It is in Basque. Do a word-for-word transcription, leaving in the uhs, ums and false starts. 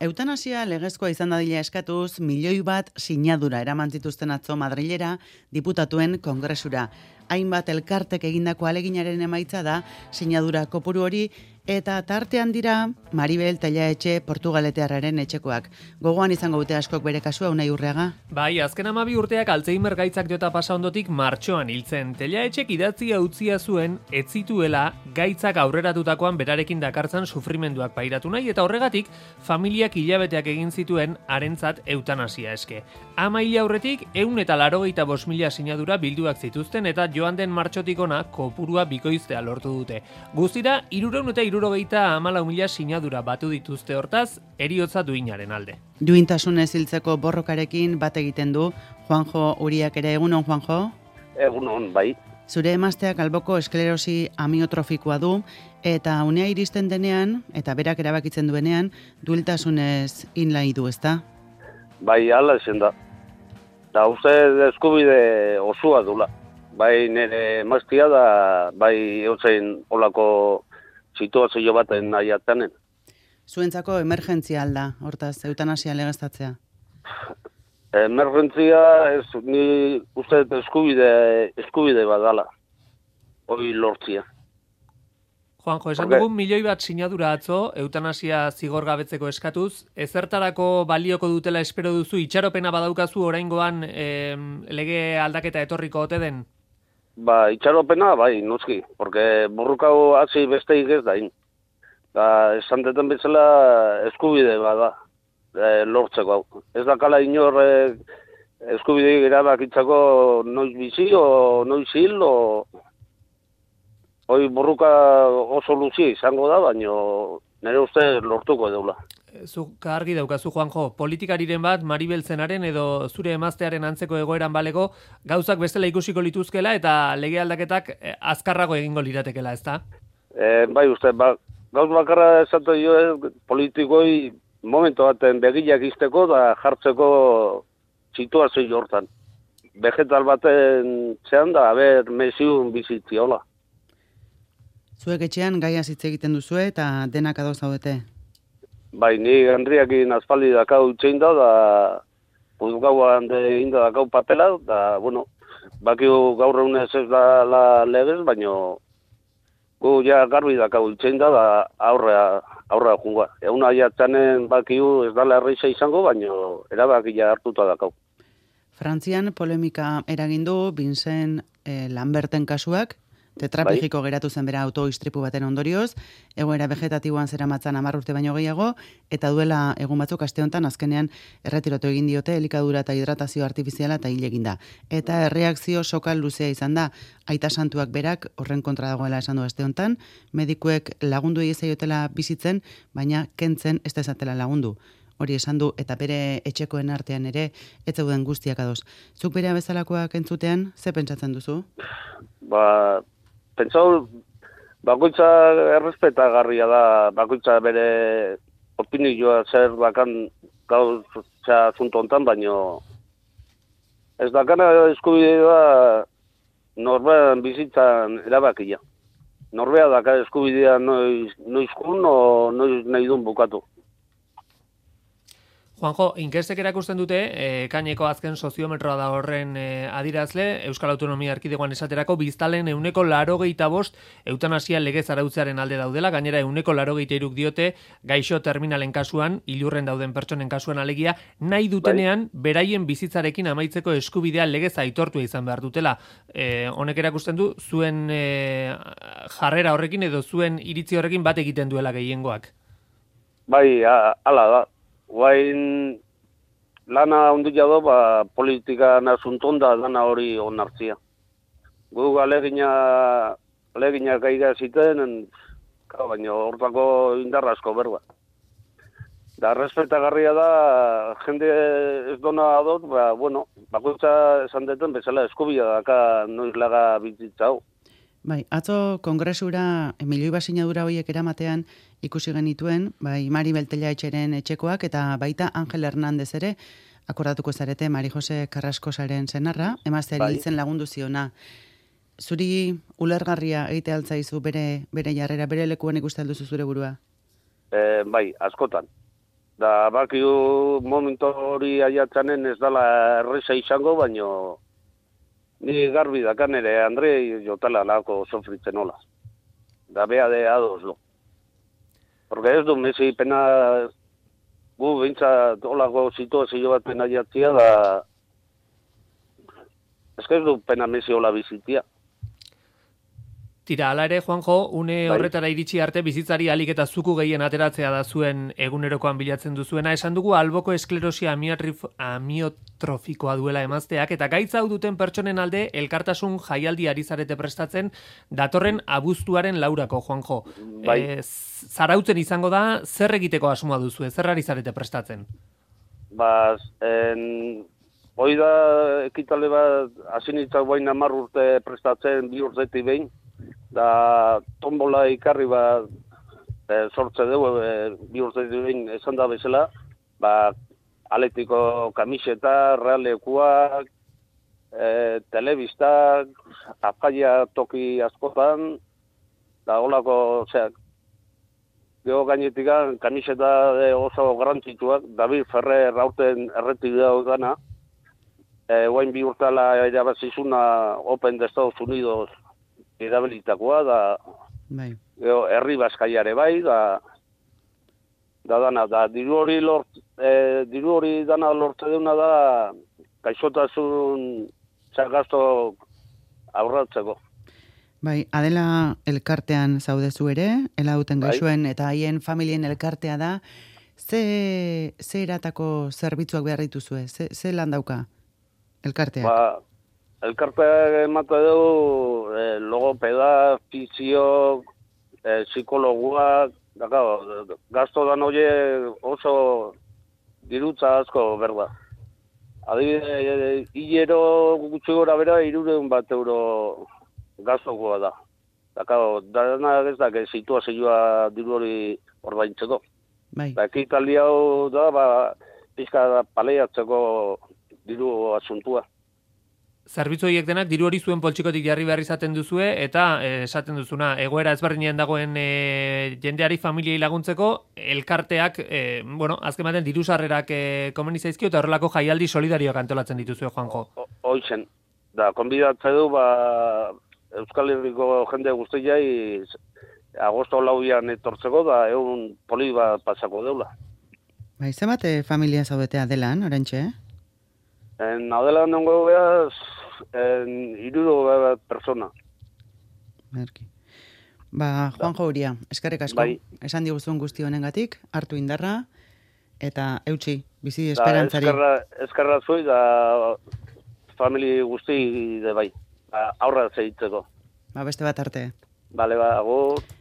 Eutanasia legezkoa izan dadila eskatuz, milioi bat sinadura eraman zituzten atzo Madrilera diputatuen kongresura. Hainbat elkartek egindako aleginaren emaitza da sinadura kopuru hori, eta tartean dira Maribel Tellaetxe Portugaletearraren etxekoak. Gogoan izango dute askok bere kasua, Unai Urreaga? Bai, azken hamabi urteak Alzheimer gaitzak jota pasa ondotik martxoan hiltzen. Tellaetxek idatzia utzia zuen, ez zituela gaitzak aurreratutakoan berarekin dakartzan sufrimenduak pairatu nahi, eta horregatik familiak hilabeteak egin zituen harentzat eutanasia eske. Ama hil aurretik, ehun eta laurogeita bost mila sinadura bilduak zituzten, eta joan den martxotik ona kopurua bikoiztea lortu dute. Guztira, hirurehun eta hirurogeita hamalau mila sinadura batu dituzte, hortaz, heriotza duinaren alde. Duintasunez hiltzeko borrokarekin bat egiten du Juanjo Uriak ere. Egunon, Juanjo? Egunon, bai. Zure emazteak alboko esklerosi amiotrofikoa du, eta unea iristen denean, eta berak erabakitzen duenean, duintasunez inlai du, ezta? Bai, hala ezen da. Da, uste eskubide osua dula. Bai, nire emaztea da, bai, eutzen olako situazio baten nahiatanen. Zuentzako emergentzia alda, hortaz, eutanasia legeztatzea? Emergentzia, ez, ni uste eskubide, eskubide badala. Hoi lortzia. Juanjo, esan dugu milioi bat sinadura atzo, eutanasia zigorgabetzeko eskatuz, ezertarako balioko dutela espero duzu, itxaropena badaukazu oraingoan eh, lege aldaketa etorriko ote den? Ba, itxaropena, bai, noski, porque burrukau hasi besteik ez dain. Da, esan deten bezala eskubide bada, e, lortzeko hau. Ez dakala inor e, eskubide erabakitzako noiz bizi, o noiz hil, o... Hoi burruka oso luzi izango da, baina nire uste lortuko deula. Zuk argi daukazu, Juanjo, politikariren bat, Maribel zenaren edo zure emaztearen antzeko egoeran balego, gauzak bestela ikusiko lituzkela eta lege aldaketak azkarrago egingo liratekela, ezta? E, bai uste, ba, gauz bakarra esatu jo politikoi momentu baten begiak izteko da jartzeko situazio hortan. Vegetal baten zean da, haber mesiun bizitziola. Zuek etxean gaia hitz egiten duzue eta denak ados zaudete? Bai, ni Henriakin aspaldi dakau itxein da, da puzgauan egin da dakau papela, da, bueno, bakiu gaur egunez ez da la legez, baina gu ja garbi dakau itxein da, da aurrea, aurrea junga. Egun aiatzanen bakiu ez dala erreixa izango, baina erabakia hartuta dakau. Frantzian polemika eragin du Vincent eh, Lamberten kasuak, tetraplegiko bai. Geratu zen bera autoistripu baten ondorioz, egoera vegetatiboan zeramatzan hamar urte baino gehiago, eta duela egun batzuk aste honetan azkenean erretirotu egin diote elikadura eta hidratazio artifiziala eta hil egin da. Eta erreakzio sokal luzea izan da, aita santuak berak horren kontra dagoela esan du aste honetan, medikuek lagundu egizaiotela bizitzen, baina kentzen ez dezatela lagundu. Hori esan du, eta bere etxekoen artean ere, ez zeuden guztiak ados. Zuk bere bezalakoak entzutean, ze pentsatzen duzu? Ba... Pentsau, bakoitza errespetagarria da, bakoitza bere opinioa zer bakan gauza zuntu hontan, baino ez dakana eskubidea da norbean bizitzan erabakia. Norbea daka eskubidea noiz, noizkun o noiz nahi duen bukatu. Juanjo, inkestek erakusten dute, e, kaineko azken soziometroa da horren e, adirazle, Euskal Autonomia Erkidegoan esaterako biztalen euneko larogeita bost eutanasia legez arautzearen alde daudela, gainera euneko larogeita iruk diote gaixo terminalen kasuan, ilurren dauden pertsonen kasuan alegia, nahi dutenean beraien bizitzarekin amaitzeko eskubidea legez aitortua izan behar dutela. E, honek erakusten du, zuen e, jarrera horrekin edo zuen iritzi horrekin bat egiten duela gehiengoak. Bai, hala da. Guain lana ondia do, ba, politika nasunton da dana hori onartzia. Gu alegina, alegina gaiga ziten, baina hortako indarra asko berba. Da, respetagarria da, jende ez dona adot, ba, bueno, bakoitza esan deten bezala eskubia daka noiz laga bizitza hau. Bai, atzo kongresura milioi bat sinadura horiek eramatean ikusi genituen, bai, Maribel Tellaetxeren etxekoak eta baita Angel Hernández ere, akordatuko zarete Mari Jose Carrascosaren senarra, emazteari hiltzen lagundu ziona. Zuri ulergarria egite altzaizu bere bere jarrera, bere lekuan ikusten duzu zure burua? E, bai, askotan. Da, bakiu momentu hori aiatzanen ez dala erresa izango, baino ni garbi dakan ere Andre jotala lako sofritzen hola. Da bea de ados lo. Porque ez du Messi pena gu bintza olako situazio bat pena jatzia da ez que ez du pena Messi hola bizitia. Tira, ala ere, Juanjo, une Bai. horretara iritsi arte bizitzari alik eta zuku gehien ateratzea da zuen egunerokoan bilatzen duzuena. Esan dugu alboko esklerosia amiotrif- amiotrofikoa duela emazteak, eta gaitza hau duten pertsonen alde elkartasun jaialdi ari zarete prestatzen datorren abuztuaren laurako, Juanjo. Bai. E, zarautzen izango da, zer egiteko asmoa duzu, zer ari zarete prestatzen? Ba, en, hoi da ekitale bat hasinitzak baina hamar urte prestatzen bi urtetik behin, da tombola ikarri bat e, sortze dugu e, bi urtetik behin esan da bezala, ba, Atletiko kamiseta, realekuak, e, telebistak, afaia toki askotan, da holako, osea, Gero gainetikan kamiseta de oso garrantzitsuak, David Ferrer aurten erretik dago gana, e, guain bi urtala erabazizuna Open de Estados Unidos erabilitakoa, da Bai. gero herri baskaiare bai, da da dana, da diru hori lort, e, diru hori dana lortze deuna da gaixotasun gasto aurratzeko. Bai, Adela elkartean zaudezu ere, elauten Bai. gaixoen eta haien familien elkartea da, ze, ze eratako zerbitzuak behar dituzue, ze, ze lan dauka elkarteak? Ba, elkarteak emate du e, logopeda, fisio, e, psikologuak, da, claro, gasto dan hoie oso dirutza asko berda. Adibide, e, hilero gutxi gora bera hirureun bat euro gastokoa da. Da, claro, dana ez da, que situazioa diru hori ordaintzeko. Bai, Da, ekitaldi hau da, ba, pizka paleiatzeko diru asuntua. Zerbitzu horiek denak diru hori zuen poltsikotik jarri behar izaten duzue, eta eh, esaten duzuna, egoera ezberdinean dagoen eh, jendeari familiei laguntzeko, elkarteak, eh, bueno, azken baten diru sarrerak eh, komeni zaizkio, eta horrelako jaialdi solidarioak antolatzen dituzue, Juanjo. O- Hoizen, da, konbidatze du, ba, Euskal Herriko jende guztiai agosto lauian etortzeko, da, egun poli bat pasako deula. bai, zenbat eh, familia zaudete Adelan, orantxe, eh? En Adela nengo behaz, en iruro bat persona. Merki. Ba, Juanjo Uria, eskerrik asko. Bai. Esan diguzun guzti honengatik, hartu indarra, eta eutxi, bizi Da, esperantzari. eskerra, eskerra zui, da, famili guzti de bai. Da, aurra zeitzeko. Ba, beste bat arte. Bale, ba, agur.